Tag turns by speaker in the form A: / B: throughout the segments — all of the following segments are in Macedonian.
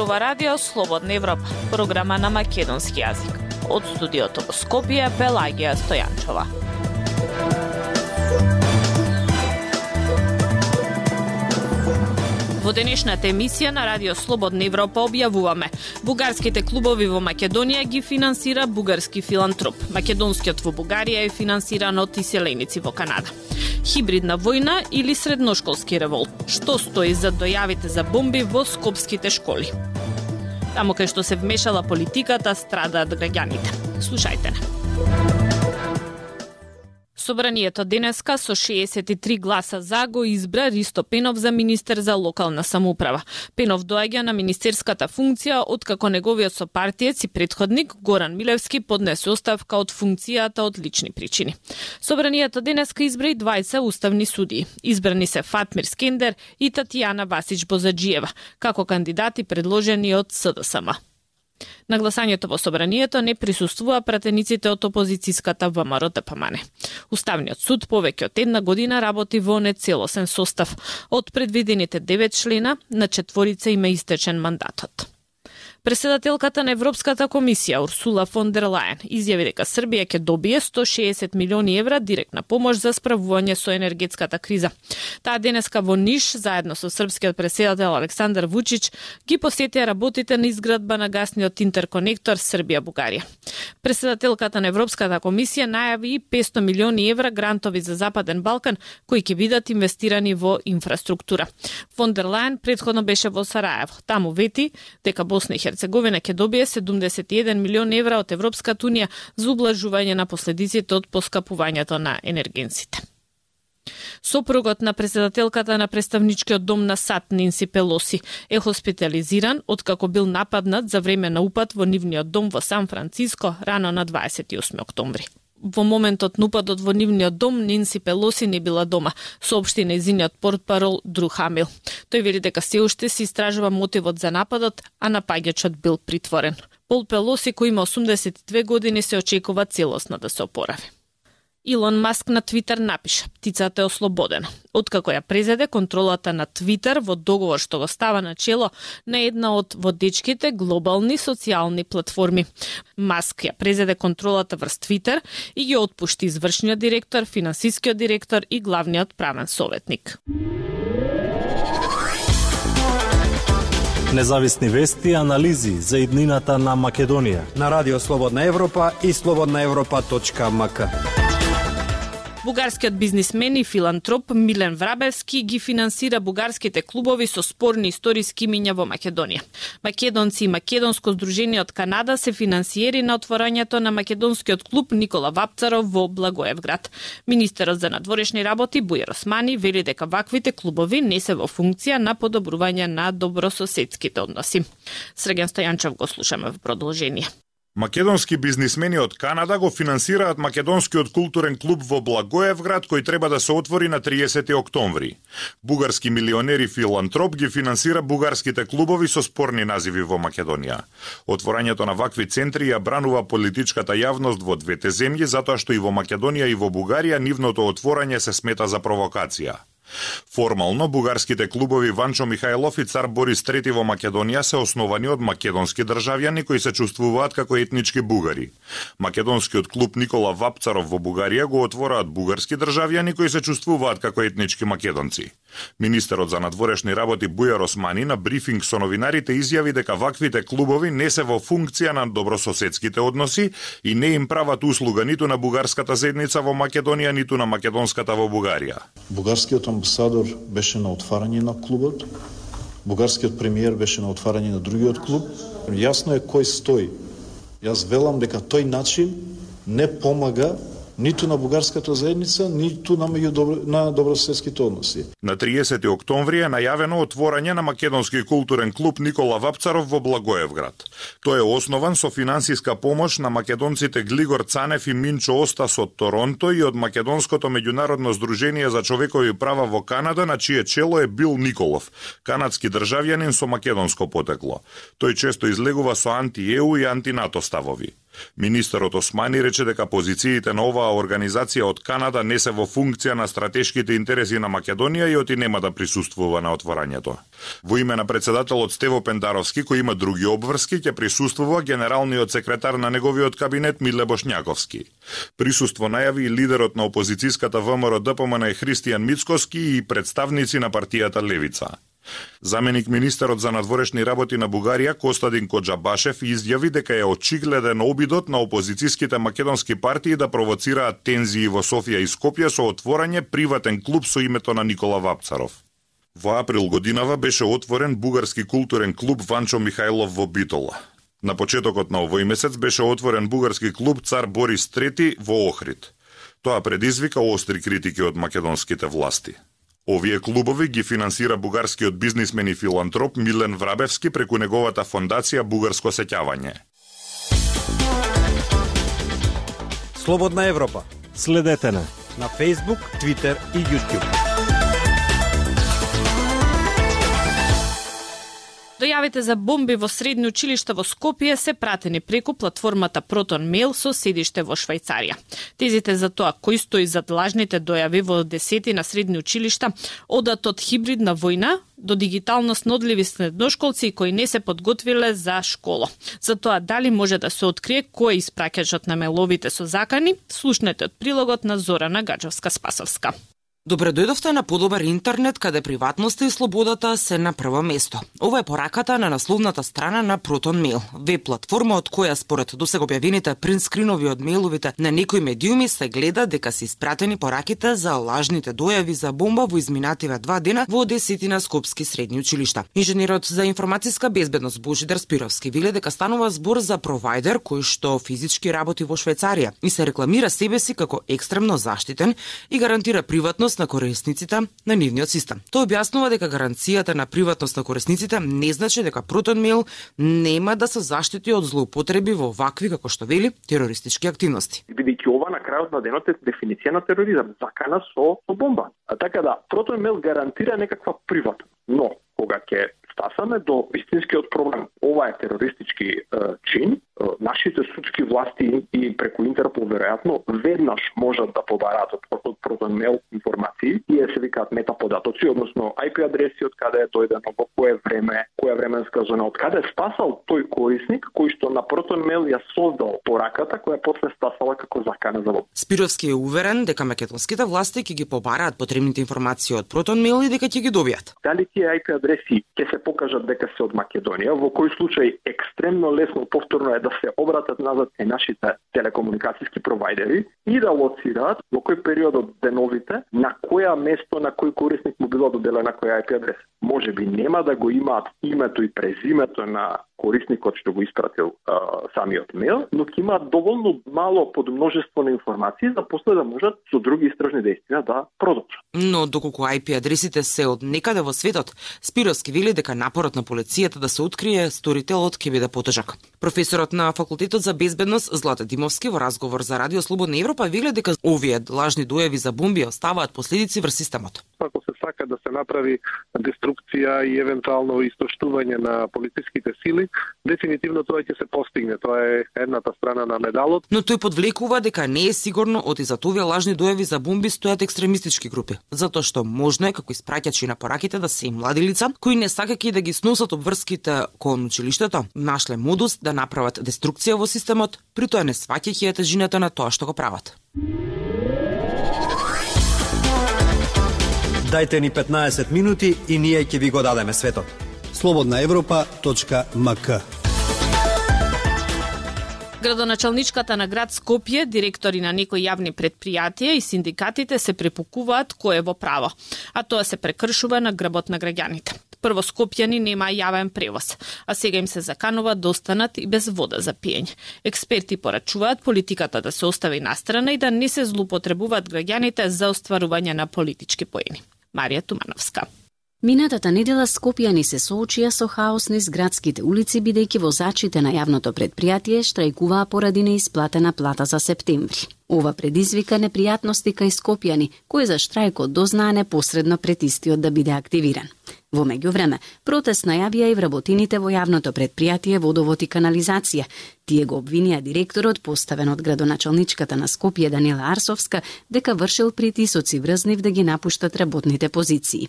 A: зборува Радио Слободна Европа, програма на македонски јазик. Од студиото во Скопје, Пелагија Стојанчова. Во денешната емисија на Радио Слободна Европа објавуваме: бугарските клубови во Македонија ги финансира бугарски филантроп. Македонскиот во Бугарија е финансиран од иселеници во Канада. Хибридна војна или средношколски револт? Што стои за дојавите за бомби во скопските школи? Таму кај што се вмешала политиката, страдаат граѓаните. Слушајте не. Собранието денеска со 63 гласа за го избра Ристо Пенов за министер за локална самоуправа. Пенов доаѓа на министерската функција откако неговиот сопартиец и претходник Горан Милевски поднесе оставка од функцијата од лични причини. Собранието денеска избра и 20 уставни судии. Избрани се Фатмир Скендер и Татјана Васич Бозаджиева како кандидати предложени од СДСМ. На гласањето во собранието не присуствува пратениците од опозицијската ВМРО-ДПМН. Уставниот суд повеќе од една година работи во нецелосен состав. Од предвидените 9 члена, на 4 им е истечен мандатот. Председателката на Европската комисија Урсула фон дер Лајен изјави дека Србија ќе добие 160 милиони евра директна помош за справување со енергетската криза. Таа денеска во Ниш, заедно со српскиот председател Александар Вучич, ги посетија работите на изградба на гасниот интерконектор Србија-Бугарија. Председателката на Европската комисија најави 500 милиони евра грантови за Западен Балкан, кои ќе бидат инвестирани во инфраструктура. Фон дер Лајен претходно беше во Сараево. Таму вети дека Босна и Херцеговина ќе добие 71 милиони евра од Европската унија за ублажување на последиците од поскапувањето на енергенсите. Сопругот на председателката на представничкиот дом на САД Ненси Пелоси е хоспитализиран откако бил нападнат за време на упад во нивниот дом во Сан Франциско рано на 28 октомври. Во моментот на упадот во нивниот дом Ненси Пелоси не била дома, соопшти нејзиниот портпарол Дру Хамил. Тој вели дека се уште се истражува мотивот за нападот, а напаѓачот бил притворен. Пол Пелоси, кој има 82 години, се очекува целосно да се опорави. Илон Маск на Твитер напиша: птицата е ослободена. Откако ја презеде контролата на Твитер во договор што го става на чело на една од водечките глобални социјални платформи. Маск ја презеде контролата врз Твитер и ги отпушти извршниот директор, финансискиот директор и главниот правен советник.
B: Независни вести и анализи за иднината на Македонија
C: на Радио Слободна Европа и slobodnaevropa.mk.
A: Бугарскиот бизнисмен и филантроп Милен Врабевски ги финансира бугарските клубови со спорни историски имиња во Македонија. Македонци и Македонско здружение од Канада се финансиери на отворањето на македонскиот клуб Никола Вапцаров во Благоевград. Министерот за надворешни работи Бујар Османи вели дека ваквите клубови не се во функција на подобрување на добрососедските односи. Срген Стојанчов го слушаме во продолжение.
D: Македонски бизнисмени од Канада го финансираат македонскиот културен клуб во Благоевград, кој треба да се отвори на 30 октомври. Бугарски милионер и филантроп ги финансира бугарските клубови со спорни називи во Македонија. Отворањето на вакви центри ја бранува политичката јавност во двете земји, затоа што и во Македонија и во Бугарија нивното отворање се смета за провокација. Формално, бугарските клубови Ванчо Михајлов и Цар Борис III во Македонија се основани од македонски државјани кои се чувствуваат како етнички бугари. Македонскиот клуб Никола Вапцаров во Бугарија го отвораат бугарски државјани кои се чувствуваат како етнички македонци. Министерот за надворешни работи Бујар Османи на брифинг со новинарите изјави дека ваквите клубови не се во функција на добрососедските односи и не им прават услуга ниту на бугарската заедница во Македонија, ниту на македонската во Бугарија.
E: Бугарскиот амбасадор беше на отварање на клубот, бугарскиот премиер беше на отварање на другиот клуб. Јасно е кој стои. Јас велам дека тој начин не помага ниту на бугарската заедница, ниту на добрососедските односи.
D: На 30 октомври е најавено отворање на македонски културен клуб Никола Вапцаров во Благоевград. Тој е основан со финансиска помош на македонците Глигор Цанев и Минчо Остас од Торонто и од Македонското меѓународно здружение за човекови права во Канада, на чие чело е Бил Николов, канадски државјанин со македонско потекло. Тој често излегува со анти-ЕУ и анти-НАТО ставови. Министерот Османи рече дека позициите на оваа организација од Канада не се во функција на стратешките интереси на Македонија и оти нема да присуствува на отворањето. Во име на председателот Стево Пендаровски, кој има други обврски, ќе присуствува генералниот секретар на неговиот кабинет Миле Бошњаковски. Присуство најави и лидерот на опозицијската ВМРО-ДПМН Христијан Мицкоски и представници на партијата Левица. Заменик министерот за надворешни работи на Бугарија Костадин Коџабашев изјави дека е очигледен обидот на опозицијските македонски партии да провоцираат тензии во Софија и Скопје со отворање приватен клуб со името на Никола Вапцаров. Во април годинава беше отворен бугарски културен клуб Ванчо Михајлов во Битола. На почетокот на овој месец беше отворен бугарски клуб Цар Борис III во Охрид. Тоа предизвика остри критики од македонските власти. Овие клубови ги финансира бугарскиот бизнисмен и филантроп Милен Врабевски преку неговата фондација Бугарско сеќавање.
C: Слободна Европа.
B: Следете на
C: Facebook, Twitter и YouTube.
A: Дојавите за бомби во средни училишта во Скопје се пратени преку платформата Proton Mail со седиште во Швајцарија. Тезите за тоа кој стои зад лажните дојави во десетина средни училишта одат од хибридна војна до дигитално снодливи средношколци кои не се подготвиле за школа. За тоа дали може да се открие кој е испраќачот на меловите со закани, слушнете од прилогот на Зорана Гаджевска-Спасовска.
F: Добре дојдовте на подобар интернет, каде приватноста и слободата се на прво место. Ова е пораката на насловната страна на Proton Mail, веб-платформа од која според досега објавените принтскринови од мејловите на некои медиуми се гледа дека се испратени пораките за лажните дојави за бомба во изминативе 2 дена во десетина скопски средни училишта. Инженерот за информатиска безбедност Божидар Спировски вели дека станува збор за провајдер кој што физички работи во Швајцарија и се рекламира себе си како екстремно заштитен и гарантира приватност на корисниците на нивниот систем. Тој објаснува дека гаранцијата на приватност на корисниците не значи дека Proton Mail нема да се заштити од злоупотреби во вакви, како што вели, терористички активности.
G: Бидејќи ова на крајот на денот е дефиниција на тероризам, закана со бомба. Така да, Proton Mail гарантира некаква приватност, но кога ќе стасаме до истинскиот проблем, ова е терористички чин, нашите судски власти и преку Интерпол веројатно веднаш можат да побараат од Proton Mail информации и се викаат метаподатоци, односно IP адреси од каде е дојдено, во кое време, која временска зона, од каде стасал тој корисник кој што на Proton Mail ја создал пораката која после стасала како закана за бомба.
F: Спировски е уверен дека македонските власти ќе ги побараат потребните информации од Proton Mail и дека ќе ги добијат.
G: Дали тие IP адреси ќе се покажат дека се од Македонија, во кој случај екстремно лесно повторно е да се обратат назад е нашите телекомуникацијски провајдери и да лоцираат во кој период од деновите на која место на кој корисник му било доделена која IP адреса. Може би нема да го имаат името и презимето на корисникот што го испратил самиот мејл, но ќе имаат доволно мало подмножество на информации за после да можат со други истражни действија да продолжат.
F: Но доколку IP адресите се од некаде во светот, Спировски вели дека напорот на полицијата да се открие сторителот ќе биде потежак. Професорот на Факултетот за безбедност Злата Димовски во разговор за Радио Слободна Европа вели дека овие лажни дојави за бомби оставаат последици врз системот.
H: Ако се сака да се направи деструкција и евентуално истоштување на полициските сили, дефинитивно тоа ќе се постигне. Тоа е едната страна на медалот.
F: Но тој подвлекува дека не е сигурно од изад овие лажни дојави за бомби стојат екстремистички групи, затоа што можно е како испраќачи на пораките да се и млади лица кои не сакајќи да ги сносат обврските кон училиштето, нашле модус да направат деструкција во системот, при тоа не сваќајќи тежината на тоа што го прават.
C: Дајте ни 15 минути и ние ќе ви го дадеме светот. slobodnaevropa.mk.
A: Градоначалничката на град Скопје, директори на некои јавни предпријатија и синдикатите се препукуваат кој е во право, а тоа се прекршува на грбот на граѓаните. Прво скопјани нема јавен превоз, а сега им се заканува да останат и без вода за пиење. Експерти порачуваат политиката да се остави настрана и да не се злоупотребуваат граѓаните за остварување на политички поени. Марија Тумановска.
I: Минатата недела скопјани се соочија со хаос низ градските улици, бидејќи возачите на јавното предпријатие штрајкуваа поради неисплатена плата за септември. Ова предизвика непријатности кај скопјани, кои за штрајкот дознаа непосредно пред истиот да биде активиран. Во меѓувреме, протест најавија и вработените во јавното предпријатие Водовод и канализација. Тие го обвинија директорот, поставен од градоначалничката на Скопје Данила Арсовска, дека вршил притисоци врз нив да ги напуштат работните позиции.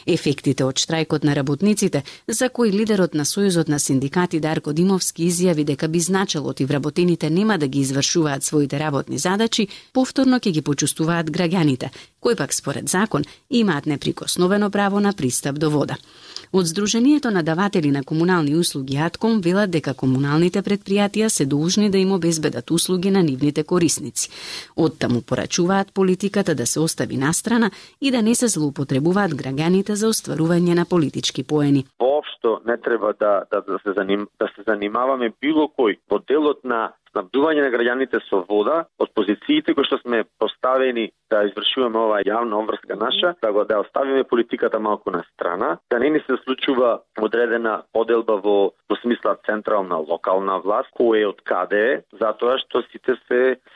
I: Ефектите од штрајкот на работниците, за кои лидерот на Сојузот на синдикати Дарко Димовски изјави дека би значело и вработените нема да ги извршуваат своите работни задачи, повторно ќе ги почувствуваат граѓаните, кои пак според закон имаат неприкосновено право на пристап до вода. Од Сдруженијето на даватели на комунални услуги АТКОМ велат дека комуналните предпријатија се должни да им обезбедат услуги на нивните корисници. Оттаму порачуваат политиката да се остави настрана и да не се злоупотребуваат граѓаните за остварување на политички поени.
J: Воопшто не треба да се занимаваме било кој во делот на снабдување на граѓаните со вода од позициите кои што сме поставени да извршуваме оваа јавна обврска наша, да оставиме политиката малку на страна, да не ни се случува одредена поделба во смисла централна локална власт, кој е од каде е, затоа што сите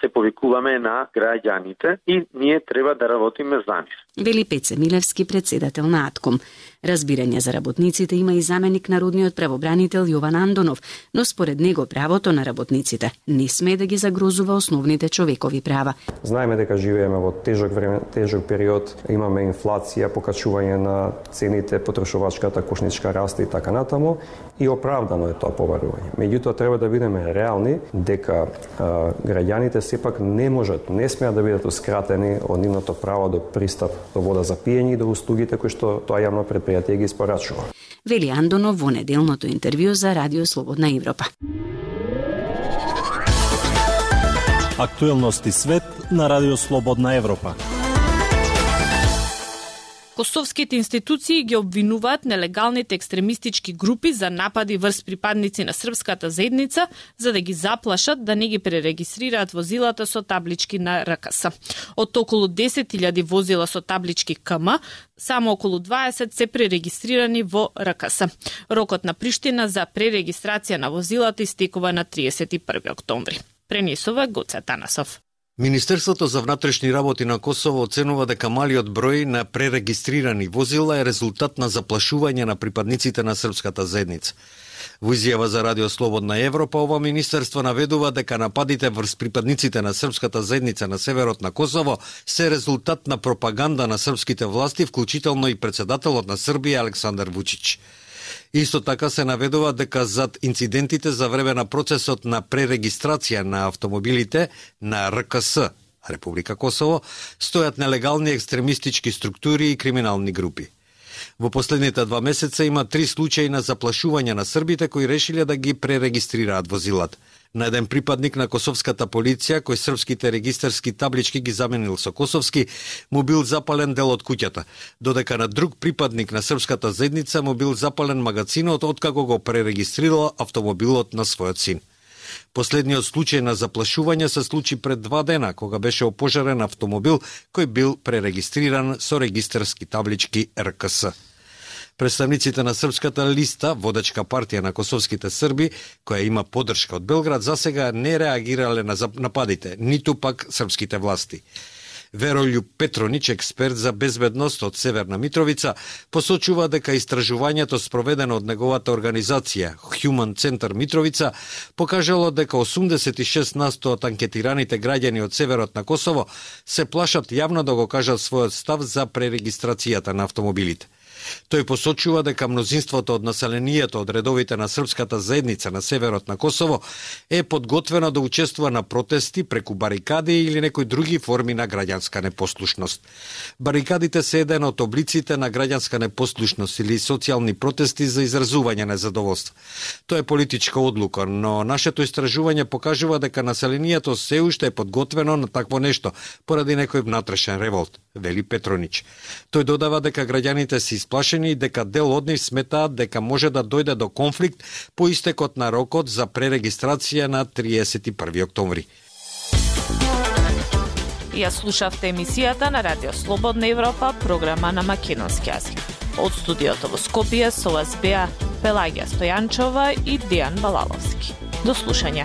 J: се повикуваме на граѓаните и ние треба да работиме за нив.
I: Вели Пеце Милевски, председател на АТКОМ. Разбирање за работниците има и заменик народниот правобранител Јован Андонов, но според него правото на работниците не сме да ги загрозува основните човекови права.
K: Знаеме дека живееме во тежок период, имаме инфлација, покачување на цените, потрошувачката кошничка расте и така натаму, и оправдано е тоа побарување. Меѓутоа треба да бидеме реални дека граѓаните сепак не смеат да бидатускратени од нивното право до пристап до вода за пиење и до услугите кои што тоа јавно предпријатие ги испорачува.
I: Вели Андонов во неделното интервју за Радио Слободна Европа.
B: Актуелности свет на Радио Слободна Европа.
A: Косовските институции ги обвинуваат нелегалните екстремистички групи за напади врз припадници на српската заедница за да ги заплашат да не ги пререгистрираат возилата со таблички на РКС. Од околу 10.000 возила со таблички КМ, само околу 20 се пререгистрирани во РКС. Рокот на Приштина за пререгистрација на возилата истекува на 31 октомври. Пренесува Гоце Танасов.
L: Министерството за внатрешни работи на Косово оценува дека малиот број на пререгистрирани возила е резултат на заплашување на припадниците на српската заедница. Во изјава за Радио Слободна Европа, ова министерство наведува дека нападите врз припадниците на српската заедница на северот на Косово се резултат на пропаганда на српските власти, вклучително и председателот на Србија Александар Вучич. Исто така се наведува дека зад инцидентите за време на процесот на пререгистрација на автомобилите на РКС, Република Косово, стојат нелегални екстремистички структури и криминални групи. Во последните 2 месеца има 3 случаи на заплашување на србите кои решиле да ги пререгистрираат возилата. На еден припадник на косовската полиција, кој српските регистарски таблички ги заменил со косовски, му бил запален дел од куќата, додека на друг припадник на српската заедница му бил запален магазинот откако го пререгистрирала автомобилот на својот син. Последниот случај на заплашување се случи пред 2 дена, кога беше опожарен автомобил кој бил пререгистриран со регистарски таблички РКС. Представниците на Српската листа, водечка партија на косовските срби, која има поддршка од Белград, засега не реагирале на нападите, ниту пак српските власти. Верољуб Петронич, експерт за безбедност од Северна Митровица, посочува дека истражувањето спроведено од неговата организација Human Center Митровица покажало дека 86% од анкетираните граѓани од северот на Косово се плашат јавно да го кажат својот став за пререгистрацијата на автомобилите. Тој посочува дека мнозинството од населението од редовите на српската заедница на северот на Косово е подготвено да учествува на протести преку барикади или некои други форми на граѓанска непослушност. Барикадите се еден од облиците на граѓанска непослушност или социјални протести за изразување на задоволство. Тоа е политичка одлука, но нашето истражување покажува дека населението се уште е подготвено на такво нешто поради некој внатрешен револт, вели Петронич. Тој додава дека граѓаните се исплашени и дека дел од нив сметаат дека може да дојде до конфликт по истекот на рокот за пререгистрација на 31 октомври.
A: Ја слушавте емисијата на Радио Слободна Европа, програма на македонски јазик. Од студиото во Скопје со вас беа Пелагија Стојанчова и Дејан Балаловски. До слушање.